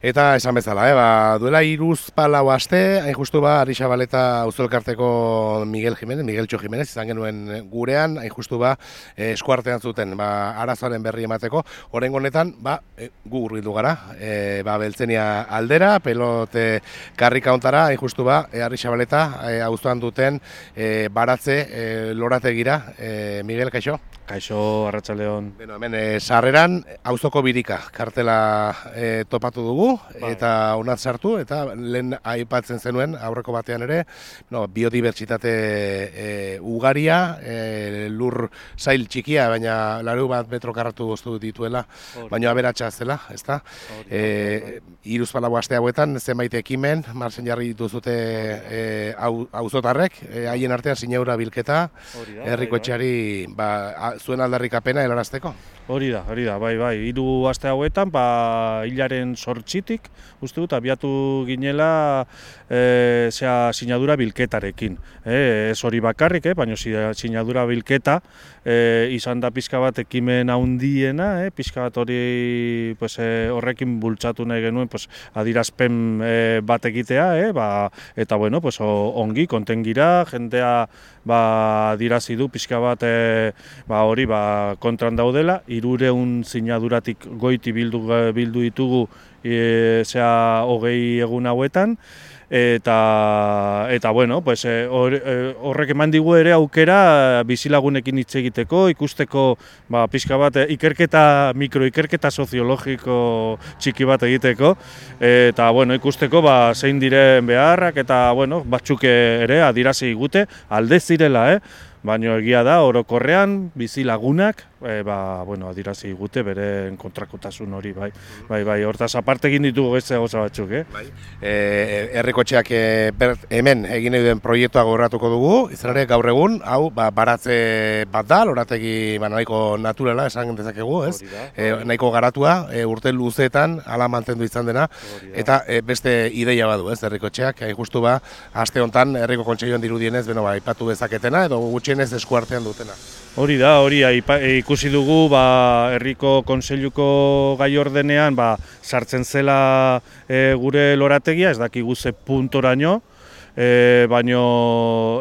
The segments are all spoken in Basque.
Eta esan bezala, duela 3-4 aste, hain justu Arixabaleta auzoelkarteko Miguel Txo Jimenez, izan genuen gurean, hain justu eskuartean zuten arazoaren berri emateko. Oraingo honetan, gu hurbildu gara, Beltzenia aldera, pelote karrika ontara, hain justu Arixabaleta auzoan duten baratze lorategira. Miguel, kaixo? Kaixo, arratsaldeon. Hemen sarreran auzoko birika kartela topatu dugu, eta honat sartu, eta lehen aipatzen zenuen aurreko batean ere, biodibertsitate ugaria, lur zail txikia, baina 80 metro karratu goztu dituela, baina aberatsa zela, ezta? 3-4 aste hauetan, zenbait ekimen, marzen jarri dituzute auzotarrek, haien artean sinadura bilketa, herriko etxeari zuen aldarrikapena helarazteko. Hori da, bai, 3 aste hauetan, hilaren 8-tik, uste dut, abiatu ginela sinadura bilketarekin. Ez hori bakarrik, baina sinadura bilketa izan da pixka bat ekimen handiena, pixka bat hori horrekin bultzatu nahi genuen adierazpen bat egitea, eta ongi, konten gira, jendea adierazi du pixka bat hori kontran daudela, 300 sinaduratik goiti bildu ditugu 20 egun hauetan, eta horrek eman digu ere aukera bizilagunekin hitz egiteko, ikusteko pixka bat mikroikerketa soziologiko txiki bat egiteko, eta ikusteko zein diren beharrak, eta batzuk ere adierazi digute alde zirela, baina egia da, orokorrean, bizilagunak, adierazi digute beren kontrakotasun hori, bai, hortaz aparte egin ditugu beste gauza batzuk, Herrikotxeak hemen egin nahi duen proiektua gaurratuko dugu, izan ere gaur egun, hau, baratze bat da, lorategi nahiko naturala, esan dezakegu, ez? Nahiko garatua, urte luzeetan, hala mantendu izan dena, eta beste ideia badu, ez, Herrikotxeak, justu aste hontan, Herriko Kontseiluan dirudienez, aipatu dezaketena, edo gutxienez eskuartean dutena. Hori da, ikusi dugu Herriko Kontseiluko gai ordenean sartzen zela gure lorategia, ez dakigu ze puntoraino, baina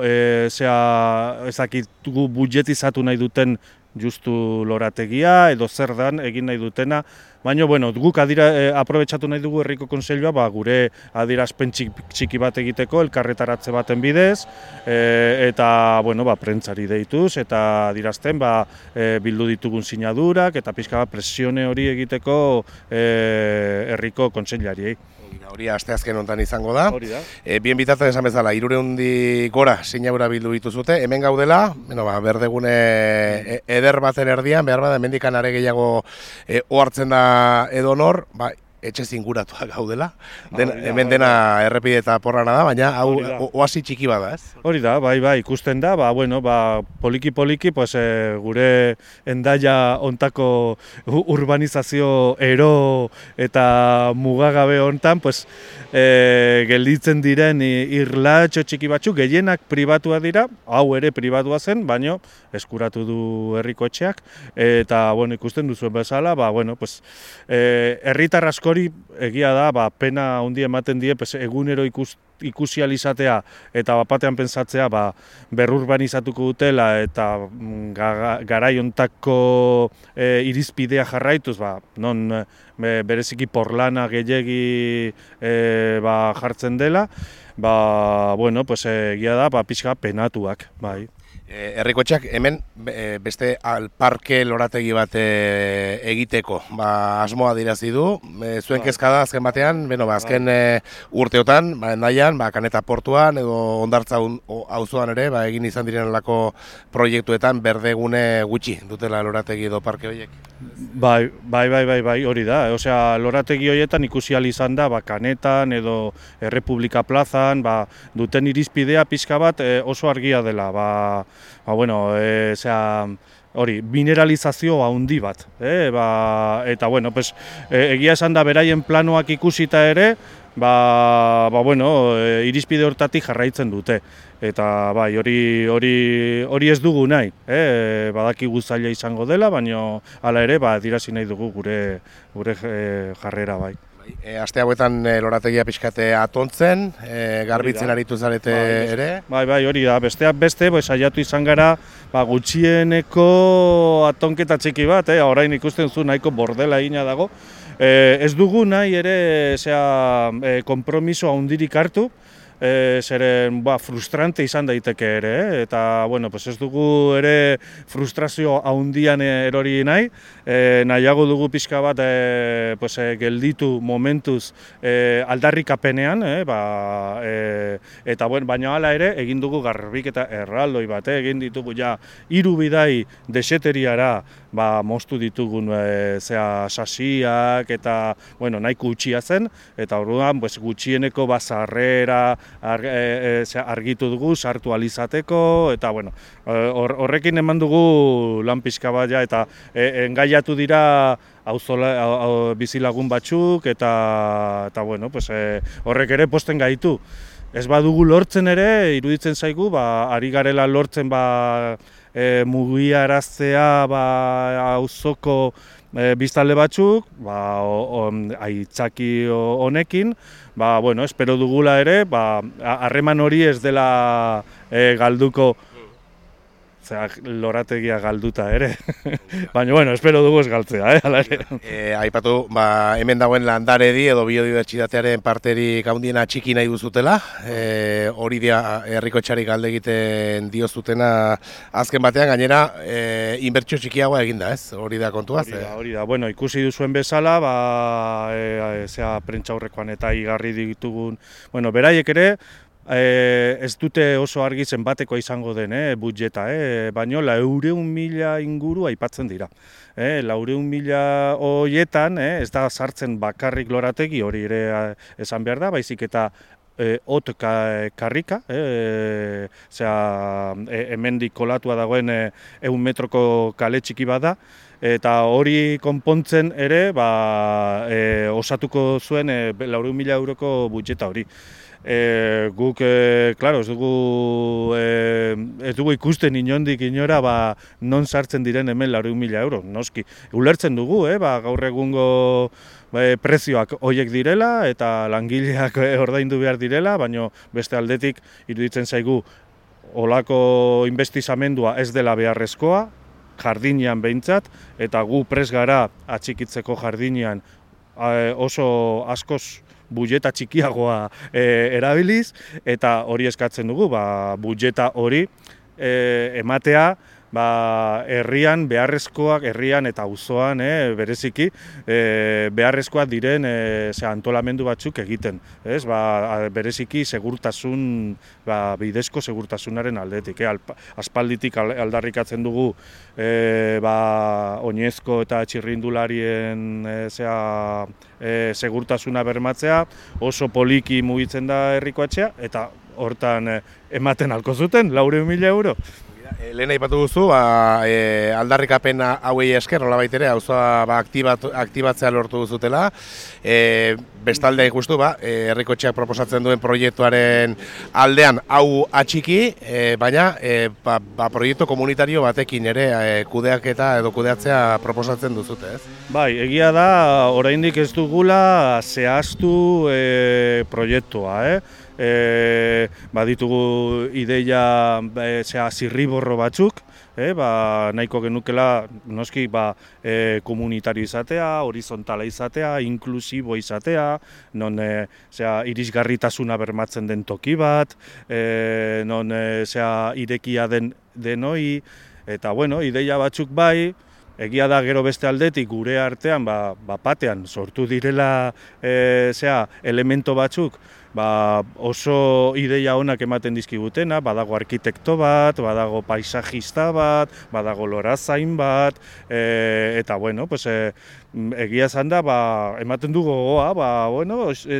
ez dakitugu budjetizatu nahi duten justu lorategia, edo zer dan egin nahi dutena, baina guk aprobetxatu nahi dugu Herriko Kontseilua gure adierazpen txiki bat egiteko, elkarretaratze baten bidez, eta prentzari deituz, eta adierazten bildu ditugun sinadurak, eta pixka presione hori egiteko Herriko Kontseilariei. Hori asteazken honetan izango da. Bien bitartean esan bezala, 300 gora sinadura bildu dituzute. Hemen gaudela, berdegune eder baten erdian, behar bada, hemendikan are gehiago ohartzen da edonor, etxe zinguratuak gaudela. Hemen dena errepide eta porrana da, baina hau oasi txiki bada, ez? Hori da, bai, ikusten da, poliki gure Hendaia hontako urbanizazio ero eta mugagabe hontan, gelditzen diren irlatxo txiki batzuk, gehienak pribatua dira, hau ere pribatua zen, baina eskuratu du Herrikotxeak, eta ikusten duzuen bezala, herritar askori egia da, pena handi ematen die, egunero ikusi alizatea eta batean pentsatzea berrurbanizatuko dutela eta garai hontako irizpidea jarraituz, non bereziki porlana gehiegi jartzen dela, egia da, pixka penatuak, bai. Herrikotxeak hemen beste parke lorategi bat egiteko asmoa dirazi du. Zuen kezka da azken batean, azken urteotan, Hendaian, Kaneta portuan edo Hondartza auzoan ere egin izan direnelako proiektuetan berdegune gutxi dutela lorategi edo parke horiek. Bai, hori da. Lorategi horietan ikusi ahal izan da Kanetan edo Errepublika plazan duten irizpidea pixka bat oso argia dela. Hori, mineralizazio handi bat. Eta, egia esan da beraien planoak ikusita ere, irizpide hortatik jarraitzen dute. Eta hori ez dugu nahi, badakigu zaila izango dela, baina hala ere adierazi nahi dugu gure jarrera bai. Aste hauetan lorategia pixkate atontzen, garbitzen aritu zarete ere? Bai, hori da. Besteak beste, saiatu izan gara gutxieneko atonketa txiki bat, orain ikusten zu nahiko bordela egina dago. Ez dugu nahi ere konpromiso handirik hartu, zeren frustrante izan daiteke ere, eta ez dugu ere frustrazio handian erori nahi, nahiago dugu pixka bat gelditu momentuz aldarrikapenean, eta baina hala ere egin dugu garbiketa erraldoi bat, egin ditugu 3 bidai deseteriara moztu ditugun sasiak eta nahiko utxia zen, eta orduan gutxieneko sarrera argitu dugu, sartu alizateko, eta horrekin eman dugu lan pixka bat eta engaiatu dira bizilagun batzuk, eta horrek ere posten gaitu. Ez badugu lortzen ere, iruditzen zaigu, ari garela lortzen mugiaraztea auzoko biztanle batzuk, aitzaki honekin, espero dugula ere, harreman hori ez dela galduko, lorategia galduta ere, baina espero dugu ez galtzea, hala ere. Aipatu, hemen dagoen landaredi edo biodibertsitatearen parterik handiena txiki nahi duzutela, hori dia herrikotxari galde egiten diozutena azken batean, gainera inbertsio txikiagoa eginda, ez? Hori da kontua? Hori da, ikusi duzuen bezala, prentsaurrekoan eta igarri ditugun, beraiek ere, ez dute oso argi zenbatekoa izango den budjeta, baina 400.000 inguru aipatzen dira. 400.000 horietan ez da sartzen bakarrik lorategi, hori ere esan behar da, baizik eta hot karrika, hemendik kolatua dagoen 100 metroko kale txiki bada, eta hori konpontzen ere osatuko zuen 400.000 euroko budjeta hori. Guk, ez dugu ikusten inondik inora non sartzen diren hemen 400.000 euro, noski. Ulertzen dugu, gaur egungo prezioak horiek direla eta langileak ordaindu behar direla, baina beste aldetik iruditzen zaigu olako investizamendua ez dela beharrezkoa, jardinean behintzat, eta gu prest gara atxikitzeko jardinean oso askoz budjeta txikiagoa erabiliz, eta hori eskatzen dugu, budjeta hori ematea herrian beharrezkoak, herrian eta auzoan bereziki beharrezkoak diren antolamendu batzuk egiten. Bereziki segurtasun, bidezko segurtasunaren aldetik. Aspalditik aldarrikatzen dugu oinezko eta txirrindularien segurtasuna bermatzea, oso poliki mugitzen da herrikoetxea, eta hortan ematen halko zuten 400.000 euro. Lehen aipatu duzu, aldarrikapena hauei esker, nolabait ere, auzoa aktibatzea lortu duzutela. Bestalde justu, herrikotxeak proposatzen duen proiektuaren aldean hau atxiki, baina proiektu komunitario batekin ere kudeaketa edo kudeatzea proposatzen duzute, ez? Bai, egia da, oraindik ez dugula zehaztu proiektua, baditugu ideia zirriborro batzuk, nahiko genukela noski komunitario izatea, horizontala izatea, inklusibo izatea, non irisgarritasuna bermatzen den toki bat, non irekia denoi, eta ideia batzuk bai, egia da gero beste aldetik gure artean batean sortu direla elemento batzuk, oso ideia onak ematen dizkigutena, badago arkitekto bat, badago paisajista bat, badago lorazain bat, eta egia esan da, ematen du gogoa,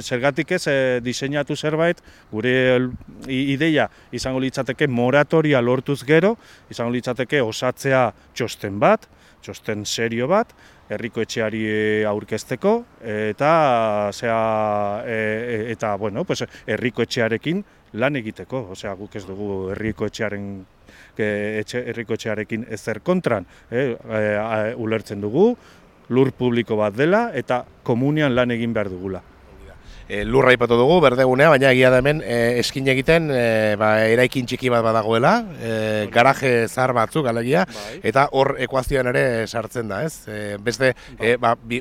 zergatik ez diseinatu zerbait, gure ideia izango litzateke moratoria lortuz gero, izango litzateke osatzea txosten bat, txosten serio bat, herrikoetxeari aurkezteko, eta herrikoetxearekin lan egiteko. Guk ez dugu herrikoetxearekin ezer kontran. Ulertzen dugu, lur publiko bat dela eta komunian lan egin behar dugula. Lurra aipatu dugu, berdegunea, baina egia da hemen eskin egiten eraikin txiki bat badagoela, garaje zahar batzuk alegia, eta hor ekuazioan ere sartzen da, ez? Beste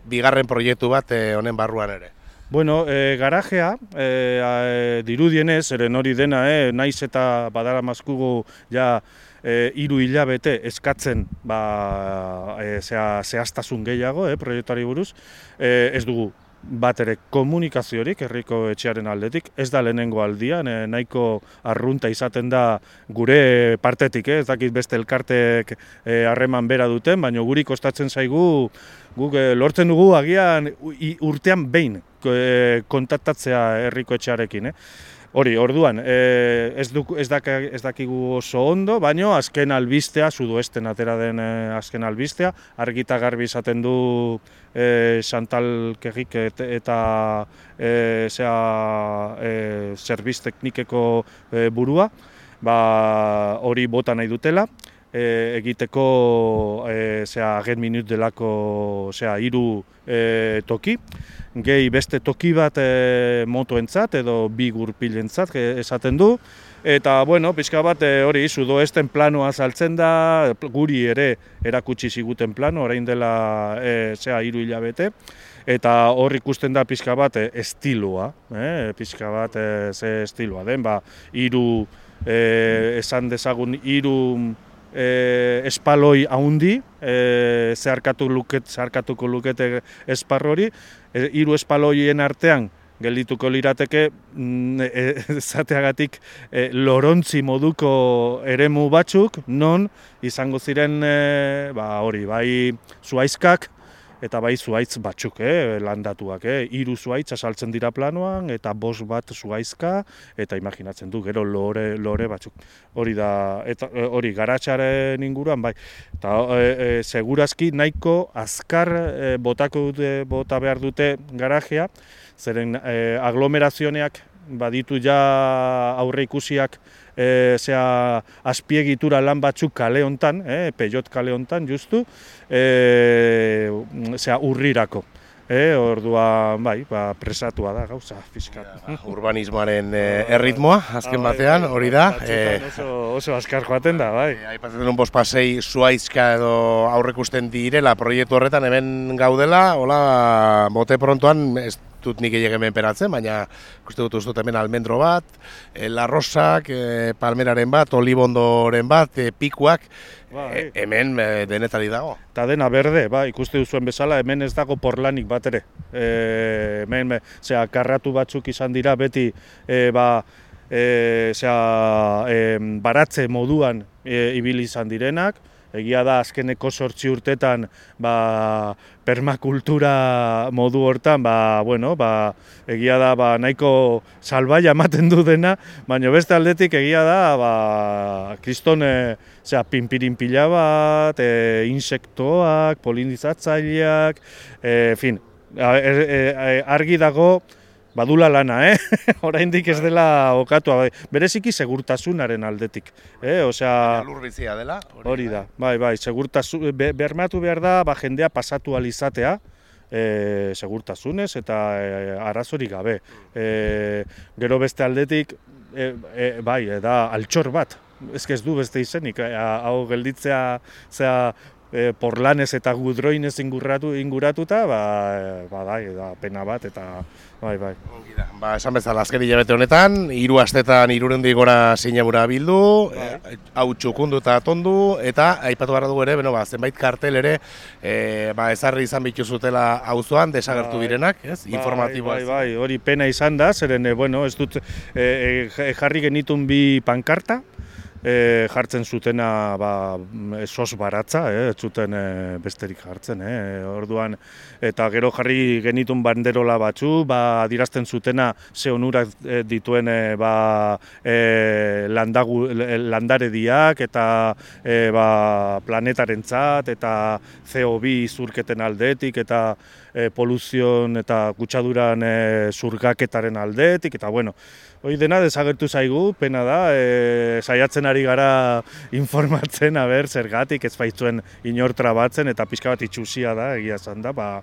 bigarren proiektu bat honen barruan ere. Bueno, garajea, dirudienez, eren hori dena, naiz eta badara mazkugu ja 3 hilabete eskatzen zehaztasun gehiago proiektuari buruz, ez dugu bat ere komunikaziorik herriko etxearen aldetik, ez da lehenengo aldian, nahiko arrunta izaten da gure partetik, ez dakit beste elkartek harreman bera duten, baina guri kostatzen zaigu, guk lortzen dugu agian urtean behin kontaktatzea herriko etxearekin. Hori, orduan, ez dakigu oso ondo, baina azken albistea, sudoesten atera den azken albistea, argita garbi izaten du Chantal Kerrik eta Zerbitz Teknikeko burua, hori bota nahi dutela, egiteko agen minut delako 3 toki, gehi beste toki bat motoentzat edo bi gurpilentzat esaten du. Eta, bueno, pixka bat hori sudoesten planoa saltzen da, guri ere erakutsi ziguten plano, orain dela 3 hilabete. Eta hor ikusten da pixka bat estiloa, pixka bat ze estiloa den, esan dezagun 3 espaloi haundi, zeharkatuko lukete esparro hori, 3 espaloien artean geldituko lirateke zateagatik lorontzi moduko eremu batzuk, non izango ziren hori, bai zuhaizkak eta bai zuhaitz batzuk, landatuak. 3 zuhaitz asaltzen dira planoan, eta 5 bat zuhaizka, eta imaginatzen du, gero lore batzuk. Hori da, eta hori garatxaren inguruan, bai. Eta segurazki nahiko azkar bota behar dute garajea, zeren aglomerazioneak baditu ja aurre ikusiak azpiegitura lan batzuk kale hontan, Peiot kale hontan justu, urrirako. Ordua, presatua da gauza fiskat. Urbanismoaren erritmoa, azken batean, hori da. Oso azkar joaten da, bai. Aipatzen duen bospasei zuhaizka edo aurrekusten direla proiektu horretan hemen gaudela, hola, bote prontoan, ez dut nik hemen peratzen, baina ikuste dut hemen almendro bat, larrosak, palmeraren bat, olibondoren bat, pikuak, hemen denetari dago. Eta dena berde, ikuste duzuen bezala, hemen ez dago porlanik bat ere. Hemen, karratu batzuk izan dira beti, baratze moduan ibili izan direnak. Egia da, azkeneko 8 urtetan permakultura modu hortan, egia da nahiko salbaia ematen du dena, baina beste aldetik egia da, kriston pinpirin pila bat, insektoak, polinizatzaileak, argi dago, badula lana, oraindik ez dela okatua, bereziki segurtasunaren aldetik. Lur bizia dela? Hori da, bermatu behar da jendea pasatu alizatea, segurtasunez eta arazorik gabe. Gero beste aldetik, da altxor bat, ez du beste izenik, hau gelditzea porlanez eta gudroinez inguratuta, da pena bat, eta bai. Esan bezala, azken hilabete honetan, 3 astetan 300 gora sinabura bildu, hau txukundu eta tondu, eta aipatu behar dugu ere, zenbait kartel ere, ezarri izan bituzutela auzoan desagertu direnak, informatiboa. Bai, hori pena izan da, zeren, ez dut, jarri genitun 2 pankarta, jartzen zutena sos baratza, ez zuten besterik jartzen, orduan, eta gero jarri genitun banderola batzu, adierazten zutena ze onurak dituen landarediak eta planetarentzat eta CO2 zurketen aldetik eta poluzion eta kutsaduran zurgaketaren aldetik, eta hori dena desagertu zaigu, pena da, saiatzen ari gara informatzen, zergatik ez baitzuen inor trabatzen, eta pixka bat itxusia da, egia esan da,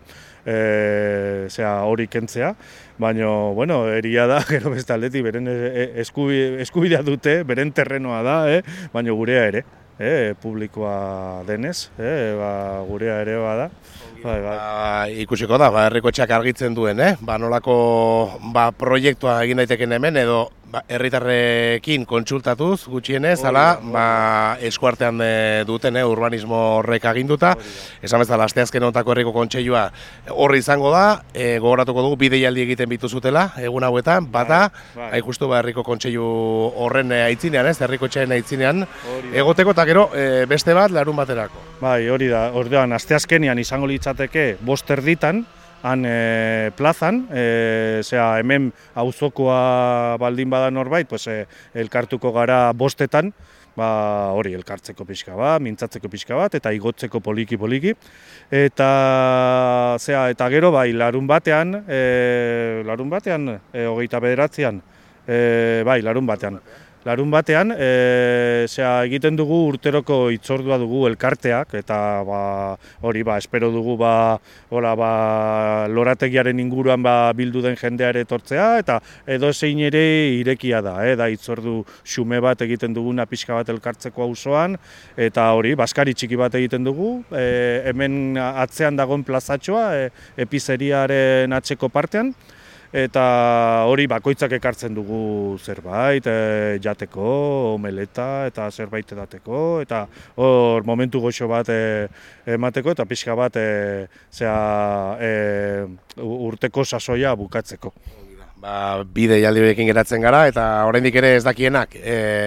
hori kentzea, baina, bueno, eria da, gero beste aldetik, beren eskubidea dute, beren terrenoa da, baina gurea ere, publikoa denez, gurea ere bada. Ikusiko da, herriko etxeak argitzen duen, nolako proiektua egin daiteken hemen, edo herritarrekin kontsultatuz gutxienez, eskuartean duten urbanismo horrek aginduta. Esan bezala, asteazken honetako herriko kontseilua horri izango da, gogoratuko dugu bideialdi egiten bituzutela, egun hauetan, bata, hain justu herriko kontseilu horren aitzinean, herriko etxearen aitzinean, egoteko eta gero beste bat larun baterako. Bai, hori da, ordean, asteazkenean izango litzateke 5:00 han plazan, hemen auzokoa baldin bada norbait, elkartuko gara 5:00, hori elkartzeko pixka bat, mintzatzeko pixka bat, eta igotzeko poliki. Eta gero, larun batean, 29an, larun batean, egiten dugu urteroko hitzordua dugu elkarteak, eta hori, espero dugu lorategiaren inguruan bildu den jendeare etortzea, eta edo zein ere irekia da, da hitzordu xume bat egiten duguna pixka bat elkartzeko auzoan, eta hori, baskari txiki bat egiten dugu, hemen atzean dagoen plazatxoa, epizeriaren atzeko partean, eta hori bakoitzak ekartzen dugu zerbait, jateko, omeleta eta zerbait edateko, eta hor momentu goxo bat emateko eta pixka bat urteko sasoia bukatzeko. Bideialdi horiekin geratzen gara, eta oraindik ere ez dakienak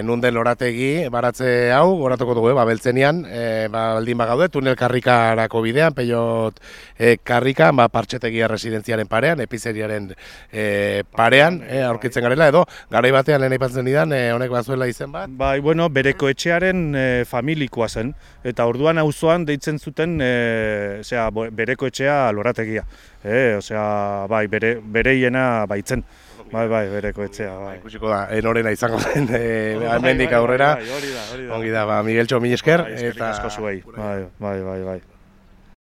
nun den lorategi baratze hau, goratuko dugu, beltzenean, baldin bagaude, tunel karrikarako bidean, peiot karrikan, partxetegia residentziaren parean, epizeriaren parean, aurkitzen garela, edo, garai batean lehen aipatzen didan, honek bazuela izen bat? Bereko etxearen familikoa zen, eta orduan auzoan deitzen zuten bereko etxea lorategia. Bereiena baitzen. Bereko etxea. Ikusiko da, enorena izango zen, hemendik aurrera. Hori da. Ongi da, Migueltxo, mila esker. Eskerrik asko zuei. Bai.